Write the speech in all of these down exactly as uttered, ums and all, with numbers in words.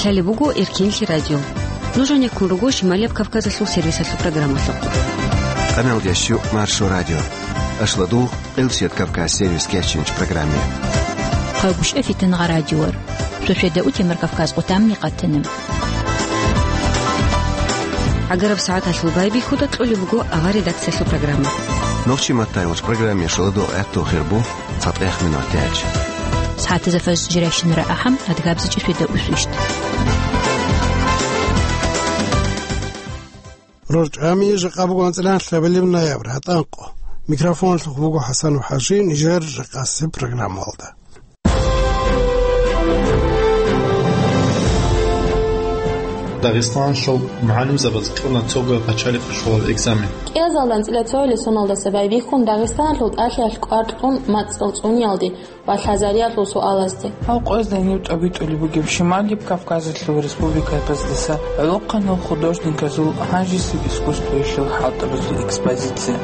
Лъалеб буго Эркенлъи радио. Нуж гьанеккун руго Шималияб Кавказалъул сервисалъул программалъухъ. Къаналдящу Маршо радио. Ашладугъ, Элсет Кавказ сервис кечинч программе. Хъагушев Фитангъа радиор. Сосведа Утемар Кавказ къутамни къатана. ГӀагараб сагӀаталъул байбихьуда кьолеб буго авар редакциялъул программа. Нохчи маттайвач программе шаладо гӀатту хирбу. ЦатӀех минут тяч. СагӀатазда фажр жирайщинара ахӀам, адгабзичӀи светаусвищ. РорчӀами жакъа буго анцӀила лъабилеб ноябрь, гьатӀанкъо. Микрофонлъухъ буго ХӀасан ВахӀажи, нижер жакъасеб программалда. Дагъистаналъул мугӀалимзабаз кьуна цого пачалихъалъулаб экзамен. КӀиазалда анцӀила цогьалил соналдаса байбихьун Дагъистаналъул тӀалъиялъ кӀвар кьун мацӀал цӀуниялде ва лъазариялъул суалазде. Гьав къоязда гьенив тӀобитӀулеб бугеб Шималияб Кавказалъул республикабаздаса гӀолохъанал художниказул гьанжесеб искусствоялъул хӀалтӀабазул экспозиция.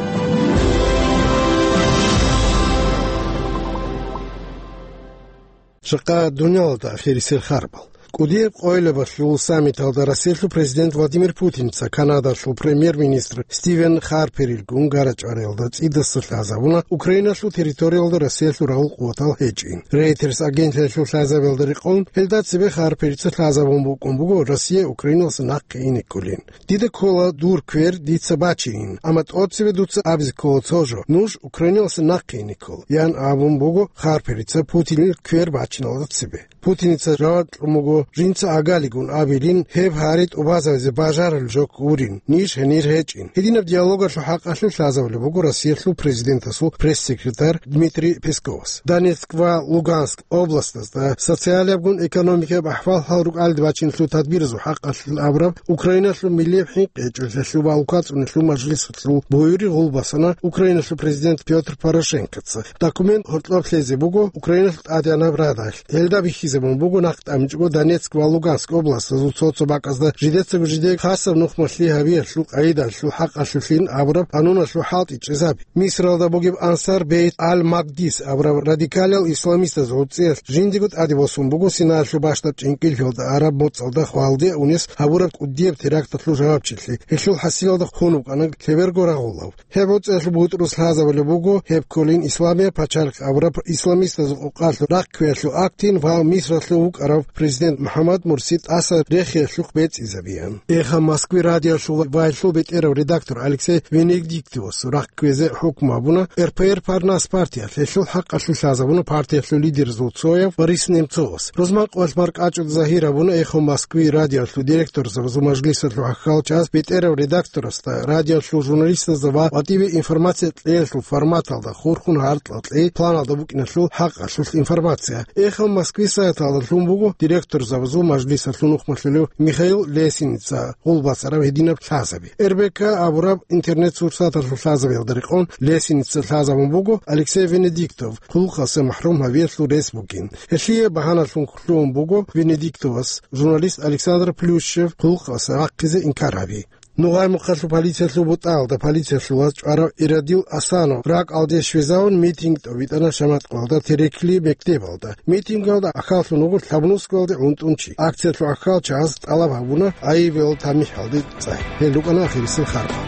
Жакъа дуниялалда ахирисел харбал. КӀудияб къоялабалъул саммиталда Россиялъул президент Владимир Путинца Канадалъул премьер-министр Стивен Харперилгун гарачӀвариялда цӀидаса лъазабуна Украиналъул территориялда Россиялъул рагъул къуватал гьечӀин. Reuters агенталъул лъазабиялда рекъон, гьелда цебе Харперица лъазабун букӀун буго Россия Украиналъа нахъе ине кколин. «Дида ккола дур квер дица бачейин, амма тӀоцебе дуца абизе ккола цо жо: нуж Украиналъа нахъе ине ккола», — ян абун буго Харперица Путинил квер бачиналда цебе. Путиница жаваб кьун буго: «Жинца агалигун абилин, гьеб гьари тӀубазабизе бажарулел жо гурин, ниж гьенир гьечӀин». Гьединаб диалогалъул хӀакъалъулъ лъазабулеб буго Россиялъул президентасул пресс-секретарь Дмитрий Песковас. Донецк ва Луганск областазда социалиябгун экономикаяб ахӀвал гьал рукӀалде бачиналъул тадбиразул хӀакъалъулъ абураб Украиналъул милияб хӀинкъи гьечӀолъиялъул ва лукъацӀуналъул мажлисалъул буюри гъулбасана Украиналъул президент Пётр Порошенкоца. Документ гьоркьоб лъезе буго Украиналъул ТӀадегӀанаб Радалъ. Гьелда бихьизабун буго нахъ тӀамичӀого Донецк ва Луганск областазул цо-цо бакӀазда жидеца-жидеца хасаб нухмалъи гьабиялъул къайдалъул хӀакъалъулъин абураб къануналъул хӀалтӀи чӀезаби. Мисралда бугеб Ансар Бейт Аль-Макдис абураб радикалиял исламистаз гӀуцӀиялъ жиндиего тӀаде босун буго Синаялъул бащдаб чӀинкӀиллъиялда араб моцӀалда хвалде унес гьабураб кӀудияб теракталъул жавабчилъи. Гьелъул хӀасилалда хун вукӀана лъеберго рагъулав. Гьеб гӀуцӀиялъул бутӀрус лъазабулеб буго гьеб кколин Исламияб пачалихъ абураб исламистазул къокъалъул рахъ кквеялъул актин ва Мисралъув вукӀарав президент МухӀаммад Мурси тӀаса рехиялъухъ бецӀизабеян. Эхо Москвы радиолъул ва гьелъул бетӀерав редактор Алексей Венедиктовас рахъ кквезе хӀукму гьабуна РПР Парнас партиялъ, гьелъул хӀакъалъулъ лъазабуна партиялъул лидерзул цояв Борис Немцовас. Рузман къоялъ баркӀачӀул загьир гьабуна Эхо Москвы радиолъул директорзабазул мажлисалъул хӀалчияс бетӀерав редакторасда радиолъул журналистазда ва гьатӀибе информация кьеялъул форматалда хурхун гьаркьа кьей планалда букӀиналъул хӀакъалъулъ информация. Эхо Москвы сайталда лъун буго директорзабазул мажлисалъул нухмалъулев Михаил Лесиница гъулбасараб гьединаб лъазаби. РБК абураб интернет-сурсаталъул лъазабиялда рекъон Лесиница лъазабун буго Алексей Венедиктов хъулухъасе махӀрум гьавиялъул рес бугин. Гьелъие багьаналъун лъугьун буго Венедиктовас журналист Александр Плющев хъулухъасе рахъизе инкар гьаби. Нугъай-Мухъалъул полициялъул бутӀаялда полициялъул ваз чӀварав Ирадил Асанов ракӀалде щвезавун митинг тӀобитӀана Шаматкъалда Терекли мектебалда. Митингалда ахаллъун вуго лъабнусгоялде гӀунтӀун чи. Акциялъул ахалчагӀаз тӀалаб гьабуна гӀайибал тамихӀалде цӀай. Гьел рукӀана ахирисел харбал.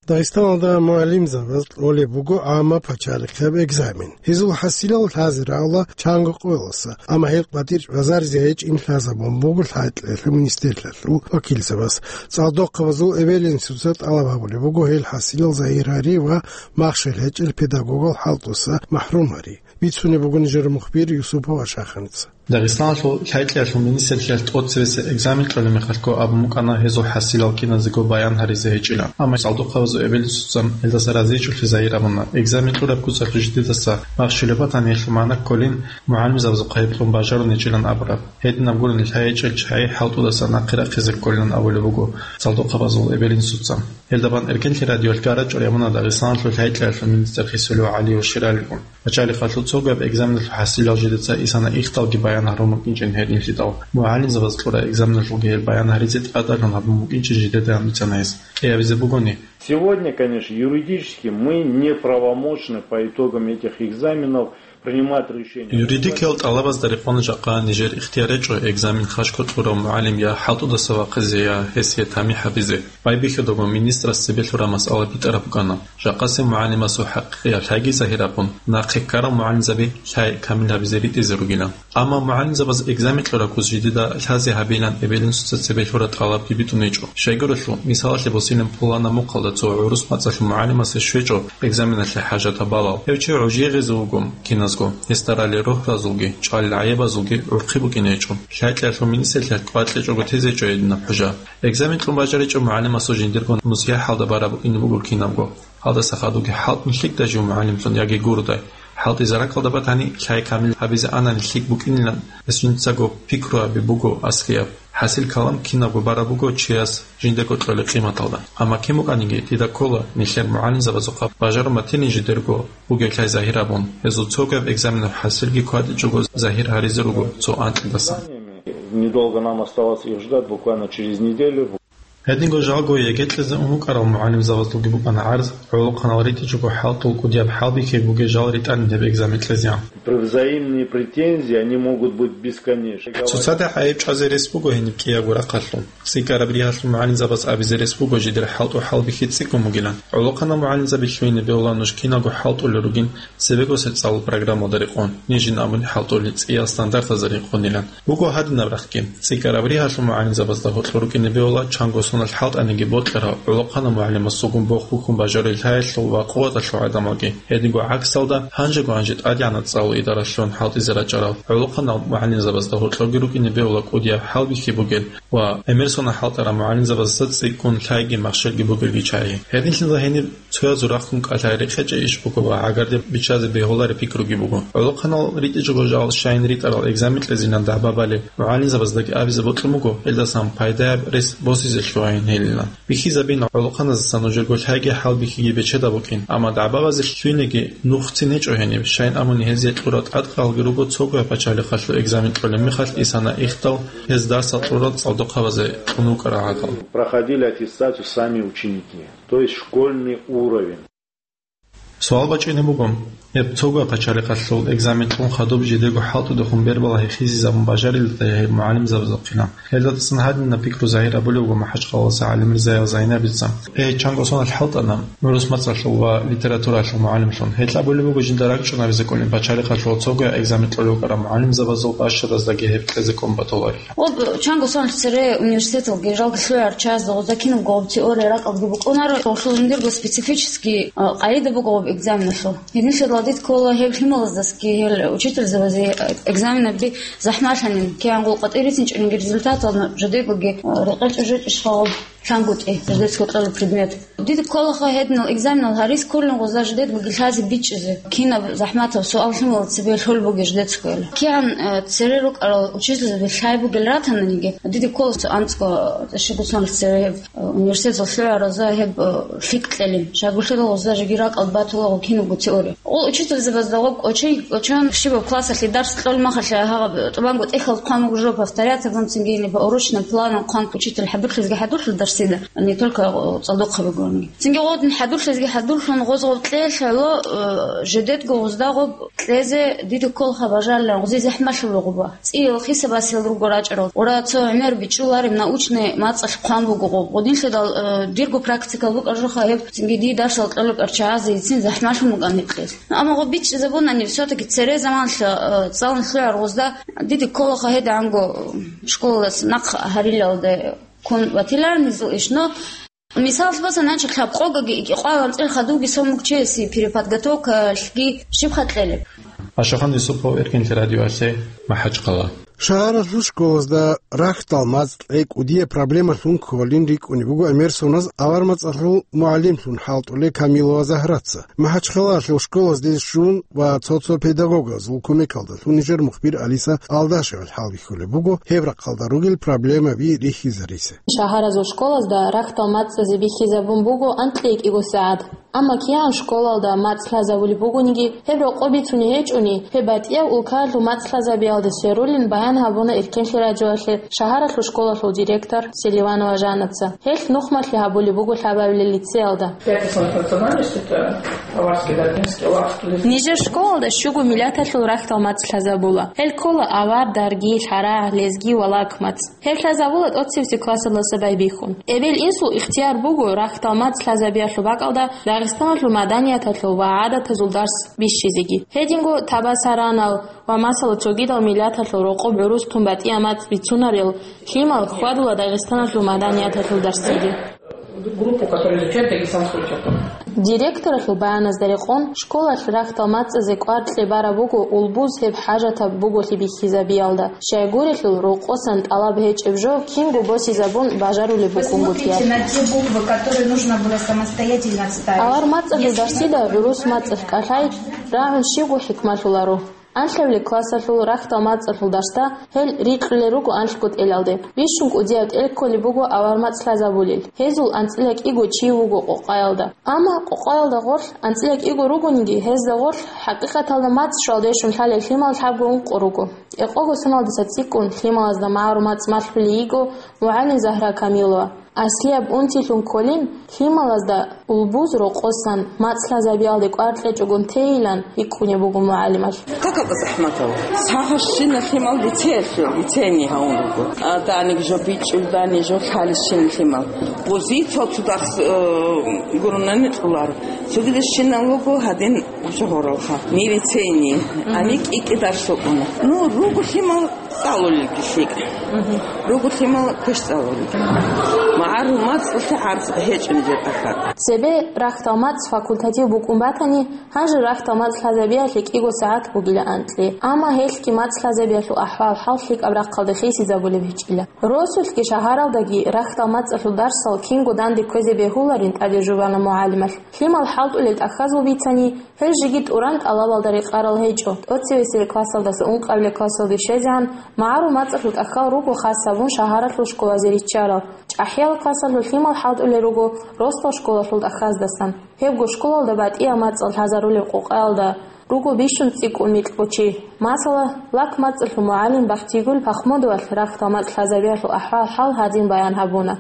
Дагъистаналда мугӀалимзабаз кьолеб буго гӀамма пачалихъаб экзамен. Гьезул хӀасилал лъазе рагӀула чанго къоялдаса, амма гьел къватӀир чӀвазаризе гьечӀин лъазабун буго лъай-кьеялъул министрлъиялъул вакилзабаз. ЦӀалдохъабазул эбел-инсуца тӀалаб гьабулеб буго гьел хӀасилал загьир гьари ва махщел гьечӀел педагогал хӀалтӀуса махӀрум гьари. Бицунеб буго нижер мухбир Юсупова Шаханица. Дагъистаналъул лъай-кьеялъул министрлъиялъ тӀоцебесеб экзамен кьолеб мехалъго абун букӀана гьезул хӀасилал киназего баян гьаризе гьечӀилан. Амма цӀалдохъабазул эбел-инсуца гьелдаса разичӀулъи загьир абуна. Экзамен кьураб куцалъул жидедаса махщулеб батани гьелъул магӀна кколин, мугӀалимзабазухъа гьеб кьун бажарун гьечӀилан абураб. Гьединаб гурони лъай гьечӀел чагӀи хӀалтӀудаса нахъе рахъизе кколилан абулеб буго цӀалдохъабазул эбел-инсуца. Гьелда бан Эркенлъи радиоялъ гарачӀвар гьабуна Дагъистаналъул лъай-кьеялъул министр Хисулев ГӀалиев щералигун. Пачалихъалъул цогояб экзаменалъул хӀасилал жидеца исана ихталги баян гьарун букӀинчӀин гьединлъидал. МугӀалимзабаз кьураб экзаменалъулги гьел баян гьаризе тӀадалъун гьабун букӀинчӀин жидеда гьанбицана гьес. КӀиабизе бугони. Сегодня, конечно, юридически мы неправомочны по итогам этих экзаменов Принимать решение. Юридикиял тӀалабазда рекъон жакъа нижер ихтияр гьечӀо экзамен хашго кьурав мугӀалим я хӀалтӀудаса вахъизе, я гьесие тамихӀ гьабизе. Байбихьудаго министрас цебе лъураб масъала битӀараб букӀана. Жакъасеб мугӀалимасул хӀакъикъияб лъайги загьир абун, нахъе ккарал мугӀалимзаби лъай камил гьабизе ритӀизе ругилан. Амма мугӀалимзабаз экзамен кьураб куц жидеда лъазе гьабилан эбел-инсуца цебе лъураб тӀалабги битӀун гьечӀо. Щайгурелъул, мисалалъе босилин, пуланаб мухъалда цо гӀурус мацӀалъул мугӀалимасе щвечӀо экзаменалъе хӀажатаб балал. Гьев чи гӀужие гъезе вуго киназго, гьесда ралел рогьразулги, чӀвалел гӀайибазулги гӀурхъи букӀине гьечӀо. Лъай-лъаялъул минисалъе кӀвар кьечӀого тезе гьечӀо гьединаб хӀужа. Экзамен кьун бажаричӀо мугӀалимасул жиндирго нусихӀалда бараб букӀине буго кинабго. Гьалдаса хадуги хӀалтӀун лъикӀдай жив мугӀалимлъун яги гурудай. ХӀалтӀизе ракӀалда батани, лъай камил гьабизе анани лъикӀ букӀинилан гьесул жинцаго пикру гьаби буго аслияб. ХӀасил калам кинабго бараб буго чияс жиндаго кьолеб къиматалда. Амма кин букӀаниги, дида ккола нилъер мугӀалимзабазухъа бажарун батилин жидерго бугеб лъай загьир абун, гьезул цогияб экзаменаб хӀасилги кӀватӀичӀого загьир гьаризе руго цо анкьидасан. Недолго нам оставалось их ждать, буквально через неделю. Гьединго жалго ЕГЭ кьезе ун вукӀарал мугӀалимзабазулги букӀана гӀарз, гӀолохъанал ритӀичӀого хӀалтӀул кӀудияб хӀалбихьи бугеб жал ритӀанин гьеб экзамен кьезегӀан. Взаимные претензии, они могут быть бесконечны. ЦоцадехӀ гӀайиб чӀвазе рес буго гьениб кӀиябго рахъалъул. ЦӀикӀкӀараб ригьалъул мугӀалимзабаз абизе рес буго жидер хӀалтӀу хӀалбихьи цӀикӀкӀун бугилан. ГӀолохъанал мугӀалимзаби лъугьине бегьула нуж киналго хӀалтӀулел ругин цебего социаллъул программалда рекъон, нижин абуни хӀалтӀулел цӀиял стандартазда рекъонилан. Буго гьадинаб рахъги: цӀикӀкӀараб ригьалъул мугӀалимзабазда гьоркьор рукӀине бегьула чанго соналъ хӀалтӀаниги бокьарал гӀолохъанал мугӀалимасулгун бохун бажарулел лъаялъул ва къуваталъул гӀадамалги. Гьединго гӀаксалда, гьанжего-гьанже ТӀадегӀанаб цӀалул идаралъун хӀалтӀизе рачӀарал гӀолохъанал мугӀалимзабазда гьоркьорги рукӀине бегьула кӀудияб хӀалбихьи бугел ва гӀемер сона хӀалтӀарал мугӀалимзабазда цӀикӀкӀун лъайги махщелги бугелги чагӀи. Гьединлъидал гьениб цоязул рахъун кӀалъай рекъечӀей иш буго ва гӀагарлъи биччазе бегьулареб пикруги буго. ГӀолохъанал ритӀичӀого жал щайин ритӀарал экзамен кьезилан дагӀба балеб мугӀалимзабаздаги абизе бокьун буго, гьелдасан пайдаяб рес босизе лъугьайин гьелилан. Бихьизабина гӀолохъаназдаса нужерго лъайги хӀалбихьиги бечедаб букӀин, амма дагӀбабазе лъугьинеги нухцин гьечӀо гьениб, щайин абуни гьезие кьурал тӀадкъалги руго цогояб пачалихъалъул экзамен кьолеб мехалъ исана ихтал гьез дарсал кьурал цӀалдохъабазе кьун вукӀарал гӀадал. Проходили аттестацию сами ученики, то есть школьный уровень. Суал бачӀине буго, гьеб цого пачалихъалъул экзамен кьун хадуб жидего хӀалтӀудехун бербала гьехизизабун бажарилда гьеб мугӀалимзабазухъила. Гьелдасан гьадинаб пикру загьир абулеб буго МахӀачхъалаласа ГӀалимирзаев Зайнабица. Гьей, чанго соналъ хӀалтӀана гӀурус мацӀалъул ва литературалъул мугӀалимлъун. Гьел абулеб буго жинда ракӀчӀунабизе кӀолин пачалихъалъул цого экзамен кьолев вукӀарал мугӀалимзабазул бащадаздаги гьеб кьезе кӀун батуларила. Об чанго соналъ цере университеталги жалги лъугӀарчазда гъозда кинабго гъоб теория ракӀалдги букӀунаро, гъолъул жиндирго специфический, а, къагӀида буго гъоб экзаменалъул. Гьединлъидал дид ккола гьеб лъималаздасги гьел учительзабазе экзаменаби захӀмалъанин, кигӀан гъул къватӀир рицинчӀониги результатал жидегоги, а, рекъечӀо жечӀищха гъоб лъангутӀи жидецго кьолеб предмет. Дида кколаха гьединал экзаменал гьарис кколин гъоза жидедгоги лъазе бичӀчӀизе, кинаб захӀматаб суал лъималаз цебе лъолеб бугеб жидецго. КигӀан, а, цере рукӀарал учительзаби лъай бугел ратананиги, дида ккола цо анцӀго, а, щиб гуцаналъ цере гьеб университеталъ лъугӀаразда гьеб, э, лъикӀ кьелин. Щайгурелъул гъозда жеги ракӀалда батулаго кинабго теория. Гъол учительзабазда гъоб кӀочей-кӀочон щибаб классалъе дарс кьолеб мехалъ гьаб тӀубанго тӀехьалда хъван буго жо повторять гьабун, цинги гьеб поурочный планал хъван учитель хӀадурлъизеги хӀадурлъун дарсида, не только, э, цӀалдохъабигони. Цинги гъодин хӀадурлъизеги хӀадурлъун гъоз гъоб кьелъ гӀоло, э, жидедго гъозда гъоб кьезе дида кколаха бажарилан гъозе захӀмалъула гъоба. ЦӀиял хисабасел руго рачӀарал. Ура цо гӀемер бичӀчӀулареб научный мацӀалъ хъван буго гъоб. Гъодинлъидал, э, дирго практикал букӀаржуха гьеб, цинги дие дарсал кьолеб арчагӀазе ицин захӀмалъун букӀан гьеб кьез. Ну, амма гъоб бичӀчӀизабунани, всё-таки цере заманалъ, э, цӀалун лъугӀар гъозда дида кколаха гьедигӀанго школалдаса нахъ гьарилалде ккун батиларин гьезул иш, но Мисалалъ босани, гьанже лъабкъогаги икӀи-къвалан цӀехадуги сон мукчиясе переподготовкалъги щибха кьелеб? Ашахан Юсупов, Эркинлъи радиоялъе, МахӀачхъала. Шагьаралъул школазда рахьдал мацӀ кьей кӀудияб проблемалъун кколин рикӀкӀунеб буго Эмерсоназ авар мацӀалъул мугӀалимлъун хӀалтӀулев Камилова Загьраца. МахӀачхъалалъул школазде щун ва цо-цо педагогазул кумекалдалъун нижер мухбир Алиса Алдашева хӀалбихьулеб буго гьеб рахъалда ругел проблемаби рихьизаризе. Шагьаразул школазда рахьдал мацӀазе бихьизабун буго анкьи икӀиго сагӀат. Амма кигӀан школалда мацӀ лъазабулеб бугониги, гьеб рокъоб бицунеб гьечӀони, гьеб батӀияб улкаялъул мацӀ лъазабиялде сверулин баян гьабуна Эркенлъи радиоялъе шагьаралъул школалъул директор Селиванова Жаннаца. Гьелъ нухмалъи гьабулеб буго лъабабилеб лицеялда. Нижер школалда щуго миллаталъул рахьдал мацӀ лъазабула. Гьел ккола авар, дарги, лъарагӀ, лезги ва лак мацӀ. Гьеб лъазабула тӀоцебесеб классалдаса байбихьун. Эбел-инсул ихтияр буго рахьдал мацӀ лъазабиялъул бакӀалда Дагъистаналъул маданияталъул ва гӀадатазул дарс бищизеги. Гьединго табасаранал ва, масала, цогидал миллаталъул рокъоб гӀурус тун батӀияб мацӀ бицунарел лъимал хьвадула Дагъистаналъул маданияталъул дарсиде. Группу, которая изучает дагестанскую литературу. Директоралъул баяназда рекъон, школалъ рахьдал мацӀазе кӀвар кьебараб буго улбуз гьеб хӀажатаб буголъи бихьизабиялда. Щайгурелъул, рокъосан тӀалаб гьечӀеб жо кинго босизабун бажарулеб букӀунгутӀиялъ. Посмотрите на те буквы, которые нужно было самостоятельно вставить. Авар мацӀалъул дарсида гӀурус мацӀалъ кӀалъай рагӀун щибго хӀикмалъуларо. Анлъабилеб классалъул рахьдал мацӀалъул дарсда гьел рикьулел руго анлъго тӀелалде. Бищун кӀудияб тӀел кколеб буго авар мацӀ лъазабулел. Гьезул анцӀила кӀиго чи вуго къокъаялда. Амма къокъаялда гъорлъ анцӀила кӀиго ругониги, гьезда гъорлъ хӀакъикъаталда мацӀ щвалдешун лъалел лъимал лъабго ункъо руго. Экъого соналдаса цӀикӀкӀун лъималазда магӀарул мацӀ малъулей йиго мугӀалим Загьра Камилова. Аслияб унтилъун кколин, лъималазда улбуз рокъосан мацӀ лъазабиялде кӀвар кьечӀогун тейилан рикӀкӀунеб буго мугӀалималъ. Как это захматал? Сагъа щина лъимал лицеялъе, лицейный гьавун руго. А даник жо бичӀчӀул, дани жо лъали щин лъимал. Бузи цо-цо дарс, э, гурунани кьулар. Цогидаз щинал руго гьадин жо гьоралха. Ни лицейный, ани кӀи-кӀи дарс рукӀуна. Ну, руго лъимал цӀалулелги лъикӀ. Руго лъимал квеш цӀалулел. МагӀарул мацӀалъе гӀарз гьечӀо нижер тӀахьал. Цебе рахьдал мацӀ факультатив букӀун батани, гьанже рахьдал мацӀ лъазабиялъе кӀиго сагӀат бугила анкьи. Амма гьелъги мацӀ лъазабиялъул ахӀвал-хӀал лъикӀаб рахъалде хисизабулеб гьечӀила. Росулъги шагьаралдаги рахьдал мацӀалъул дарсал кинго данде кквезе бегьуларин тӀаде жубана мугӀалималъ. Лъимал хӀалтӀулел тӀахьазул бицани, гьел жеги тӀуран тӀалабалда рекъарал гьечӀо. ТӀоцевесеб классалдаса ункъабилеб классалде щвезегӀан магӀарул мацӀалъул тӀахьал руго хас гьабун шагьаралъул школазе риччарал. ЧӀахӀиял классалъул лъимал хӀалтӀулел руго росдал школалъул тӀахьаздасан. Гьебго школалда батӀияб мацӀал лъазарулеб къокъаялда руго бищун цӀикӀкӀун микьго чи. Масала, лак мацӀалъул мугӀалим БахтигулгӀ Пахмудовалъ рахьдал мацӀ лъазабиялъул ахӀвал-хӀал гьадин баян гьабуна.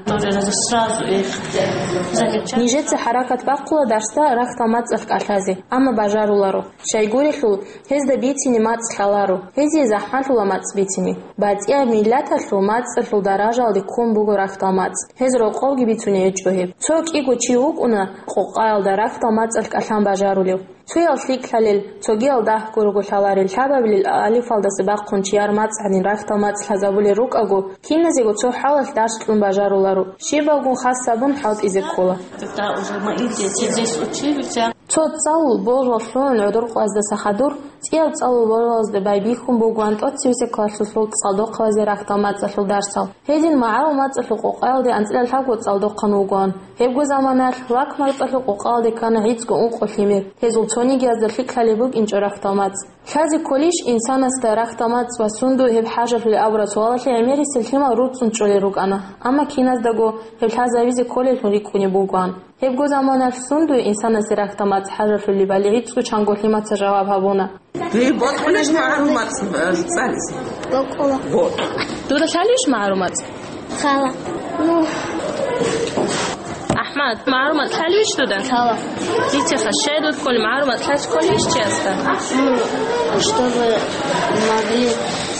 Нижеца хӀаракат бахъула дарсда рахьдал мацӀалъ кӀалъазе, амма бажаруларо. Щайгурелъул, гьезда бицине мацӀ лъаларо, гьезие захӀмалъула мацӀ бицине. БатӀияб миллаталъул мацӀалъул даражалде ккун буго рахьдал мацӀ. Гьез рокъовги бицуней гьечӀо гьеб. Цо кӀиго чи вукӀуна къокъаялда рахьдал мацӀалъ кӀалъан бажарулев. Цоял лъикӀлъалел, цогиял дагьго руго лъаларел, лъабабилел алифалдаса бахъун чияр мацӀ гьанин рахьдал мацӀ лъазабулел рукӀаго, киназего цо хӀалалъ дарс кьун бажаруларо, щибалгун хас гьабун хӀалтӀизе ккола. Когда уже мы дети здесь учились, цо цӀалул божал лъугӀун гӀодор къваздаса хадур, цӀиял цӀалул божалазда байбихьун бугоан тӀоцевесеб классалъул цӀалдохъалазе рахьдал мацӀалъул дарсал. Гьедин магӀарул мацӀалъул къокъаялде анцӀила лъабго цӀалдохъан вугоан. Гьебго заманаялъ лак мацӀалъул къокъаялде ккана гӀицӀго ункъо лъимер. Гьезул цонигиязда лъикӀлъалеб букӀинчӀо рахьдал мацӀ. Лъазе кколищ инсанасда рахьдал мацӀ ва сундуе гьеб хӀажалъулеб абураб суалалъе гӀемерисел лъимал руцӀцӀун чӀолел рукӀана, амма киназдаго гьеб лъазабизе кколеллъун рикӀкӀунеб бугоан. Гьебго заманаялъ сундуе инсанасе рахьдал мацӀ хӀажалъулебали гӀицӀго чанго лъимаца жаваб гьабуна. Дие бокьулищ магӀарул мацӀ, э, цӀализе? Бокьула. Вот. Дуда лъалищ магӀарул мацӀ? Лъала. Ну. АхӀмад, магӀарул мацӀ лъалищ дуда? Лъала. Дицеха, щай дуд кколи, магӀарул мацӀ лъалъ кколищ чиясда? Ну, чтобы могли,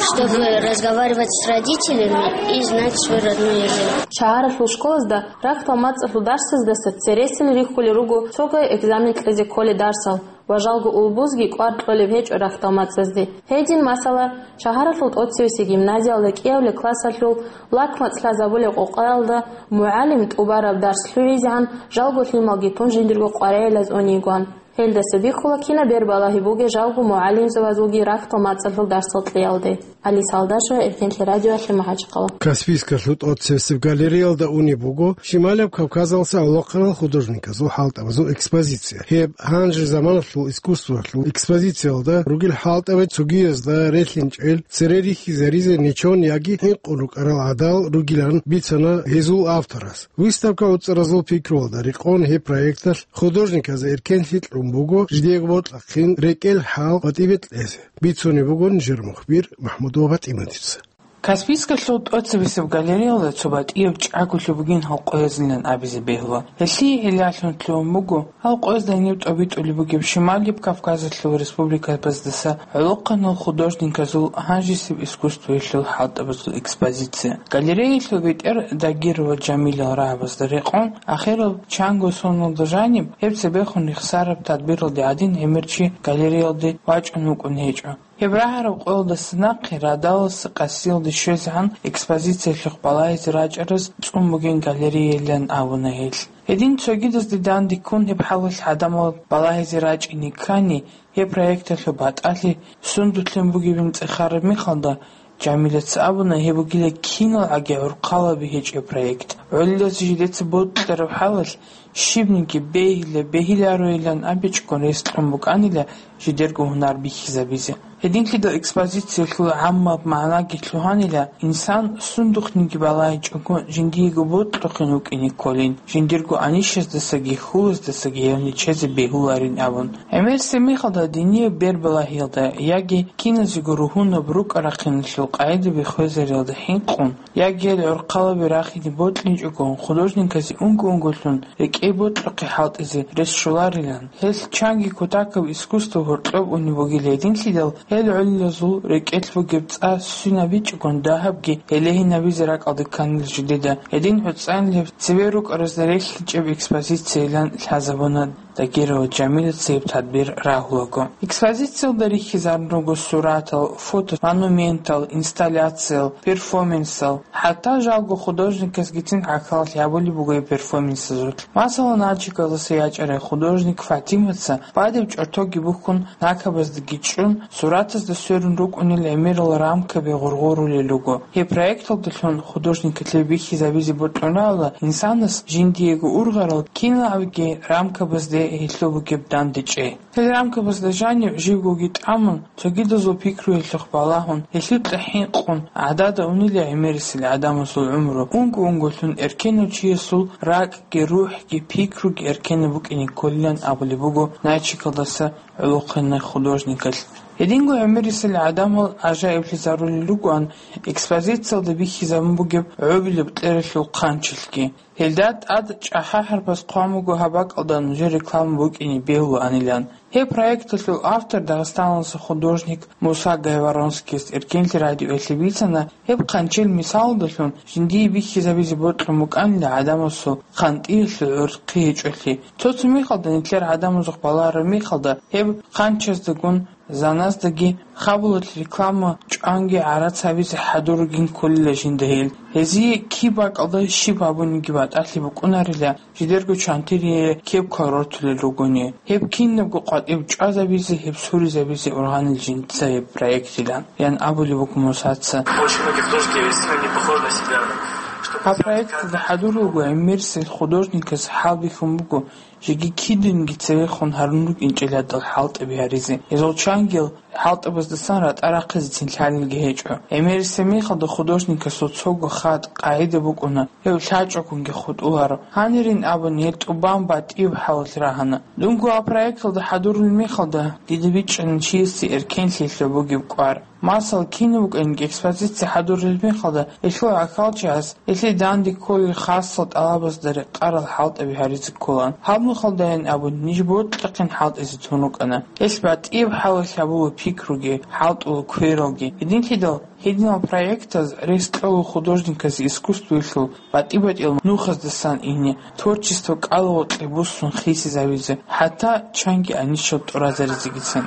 чтобы разговаривать с родителями и знать свой родной язык. Шагьаралъул школазда рахьдал мацӀалъул дарсаздаса цересел рихьулел руго цогай экзамен кьезе кколел дарсал ва жалго улбузги кӀвар кьолеб гьечӀо рахьдал мацӀазде. Гьедин, масала, шагьаралъул тӀоцевесеб гимназиялда кӀиабилеб классалъул лак мацӀ лъазабулеб къокъаялда мугӀалим тӀубараб дарс лъугӀизегӀан жалго лъималги тун жиндирго къваригӀелаз унейгоан. Гьелдаса бихьула кинаб бер балагьи бугеб жалго мугӀалимзабазулги рахьдал мацӀалъул дарсал кьеялде. Алис Алдашева, Эркенлъи радиоялъе, МахӀачхъала. Каспийскалъул тӀоцебесеб галереялда унеб буго Шималияб Кавказалъуса гӀолохъанал художниказул хӀалтӀабазул экспозиция. Гьеб гьанже заманалъул искусствоялъул экспозициялда ругел хӀалтӀаби цогиязда релълъинчӀел, цере рихьизаризе нечон яги хӀинкъун рукӀарал гӀадал ругилан бицана гьезул авторас. Выставка уцӀаразул пикруялда рекъон гьеб проекталъ художниказда эркенлъи кьун буго жидеего бокьахъин рекӀел хӀал батӀибе кьезе. Бицунеб буго нижер мухбир МахӀмудова ПатӀиматица. Каспийскалъул тӀоцебесеб галереялда цо батӀияб чӀаголъи бугин гьал къоязилан абизе бегьула. Гьелъие гӀиллалъун лъугьун буго гьал къоязда гьениб тӀобитӀулеб бугеб Шималияб Кавказалъул республикабаздаса гӀолохъанал художниказул гьанжесеб искусствоялъул хӀалтӀабазул экспозиция. Галереялъул бетӀер Дагирова Жамилал рагӀабазда рекъон, ахирал чанго соналда жаниб, гьеб цебехун рехсараб тадбиралде гӀадин гӀемер чи галереялде вачӀун вукӀун гьечӀо. Гьеб рагӀараб къоялдаса нахъе радаласа къасиялде щвезегӀан экспозициялъухъ балагьизе рачӀараз цӀун бугин галереялан абуна гьел. Гьедин цогидазде данде ккун гьеб хӀалалъ гӀадамал балагьизе рачӀине ккани, гьеб проекталъул батӀалъи сундулъин бугебин цӀехараб мехалда, Жамилаца абуна, гьеб бугила киналгӀаги гӀурхъалаби гьечӀеб проект. ГӀолилазе жидеца бокьараб хӀалалъ, щибниги бегьила-бегьилароилан абичӀого рес кьун букӀанила жидерго гьунар бихьизабизе. Гьединлъидал экспозициялъул гӀаммаб магӀнаги лъугьанила, инсан сундухъниги балагьичӀого жиндиего бокьухъин вукӀине кколин, жиндирго анищаздасаги хьулаздасаги гьев нечезе бегьуларин абун. ГӀемерисеб мехалда динияб бербалагьиялда яги киназего ругьунаб рукӀа-рахъиналъул къагӀидаби хвезариялда хӀинкъун, яги гьел гӀурхъалаби рахине бокьичӀого художниказе унго-унголъун рекӀее бокьухъе хӀалтӀизе рес щоларилан, гьелъ чанги кутакаб искусство гьоркьоб унеб бугила гьединлъидал, гьел гӀолилазул рекӀелъ бугеб цӀа свинабичӀогон дагьабги гьелегьинабизе ракӀалде кканила жидеда, гьедин гӀуцӀанилеб цеве рукӀаразда релълъинчӀеб экспозициялан лъазабуна. Дагирова Жамилаца гьеб тадбир рагьулаго. Экспозициялда рихьизарун руго суратал, фото, монументал, инсталляциял, перформансал. ХӀатта жалго художникасгицин гӀахьаллъи гьабулеб буго гьеб перформансазулъ. Масала, Нальчикалдаса ячӀарай художник ФатӀимаца бадиб чӀортоги бухьун, накабаздаги чӀун, суратазда сверун рукӀунел гӀемерал рамкаби гъоргъорулел руго. Гьеб проекталдалъун художникалъе бихьизабизе бокьунаала инсанас жиндиего ургъарал киналгӀаги рамкабазде гьелъул бугеб дандечӀей. Гьел рамкабазда жанив живгоги тӀамун, цогидазул пикруялъухъ балагьун, гьелъул кьахӀин къун, гӀадада унила гӀемерисел гӀадамасул гӀумру, унго-унголъун эркенав чиясул ракӀги, рухӀги, пикруги эркенаб букӀине кколилан абулеб буго Нальчикалдаса гӀолохъанай художникалъ. Гьединго гӀемерисел гӀадамал гӀажаиблъизарулел ругоан экспозициялда бихьизабун бугеб гӀобилеб кьералъул хъанчилъги. Гьелда тӀад чӀахӀа-хӀарпаз хъван буго гьаб бакӀалда нужер реклама букӀине бегьулаанилан. Гьеб проекталъул автор дагъистаналдаса художник Муса Гайворонскийас эркенлъи радиоялъе бицана, гьеб хъанчил мисалалдалъун жиндие бихьизабизе бокьун букӀанила гӀадамасул хъантӀиялъул гӀурхъи гьечӀолъи. Цо-цо мехалда нилъер гӀадамазухъ балараб мехалда гьеб хъанчаздагун Заназдаги хабулалъ реклама чӀванги гӀарац гьабизе хӀадур ругин кколила жинда гьел. Гьезие киб бакӀалда щиб гьабуниги батӀалъи букӀунарила, жидерго чантирие кеб квадротулел ругони. Гьеб кинабго къватӀиб чӀвазабизе, гьеб суризабизе ургъанил жинца гьеб проектилан, ян абулеб буго Мусаца. Очень многие художники сильно не похожи на себя. Гьаб проекталда хӀадур руго гӀемерисел художникас хӀалбихьун буго, жеги кидинги цевехун гьарун рукӀинчӀел гьадал хӀалтӀаби гьаризе. Гьезул чангил хӀалтӀабаздасан ратӀа рахъизецин лъалелги гьечӀо. ГӀемерисеб мехалда художникасул цого хатӀ, къагӀида букӀуна, гьев лъачӀогунги хутӀуларо. Гьанирин абун, гьел тӀубан батӀияб хӀалалъ рагьана. Дунго гьаб проекталда хӀадурулеб мехалда, дида бичӀчӀана чиясе эркенлъиялъул бугеб кӀвар. Масал, кинаб букӀанги экспозиция хӀадурулеб мехалда, гьелъул гӀахьалчагӀаз гьелъие данде кколел хасал тӀалабазда рекъарал хӀалтӀаби гьаризе кколаан. Гьаб нухалдайин абун, ниж бокьахъин хӀалтӀизе тун рукӀана. Гьелъ батӀияб хӀалалъ гьабула пикруги, хӀалтӀула квералги. Гьединлъидал, гьединал проектаз рес кьола художниказе искусствоялъул батӀи-батӀиял нухаздасан ине, творчество кӀалгъукье буссун хисизабизе, хӀатта чанги анищал тӀуразаризегицин.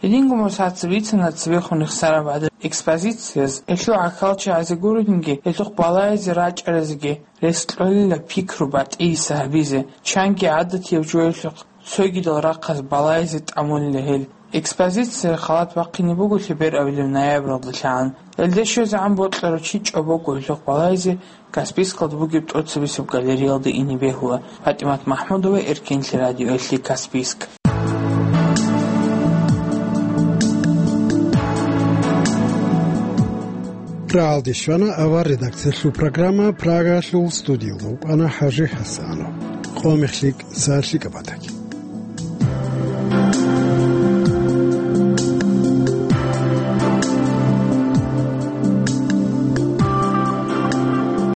Гьединго Мусаца бицана цебехун рехсараб гӀадаб экспозицияз, гьелъул гӀахьалчагӀазе гурелъинги, гьелъухъ балагьизе рачӀаразеги рес кьолила пикру батӀияса гьабизе, чанги гӀадатияб жоялъухъ цогидал рахъаз балагьизе тӀамулила гьел. Экспозиция халат бахъине буго лъеберабилеб ноябралдалъагӀан. Гьелде щвезегӀан бокьарав чи чӀобого гьелъухъ балагьизе Каспийскалда бугеб тӀоцебесеб галереялда ине бегьула. ПатӀимат МахӀмудова, Эркенлъи радиоялъе, Каспийск. Рагьалде щвана авар редакциялъул программа, Прагалъул студиялда вукӀана ХӀажи ХӀасанов. Къо мехлъи, са лъикӀаб батаги.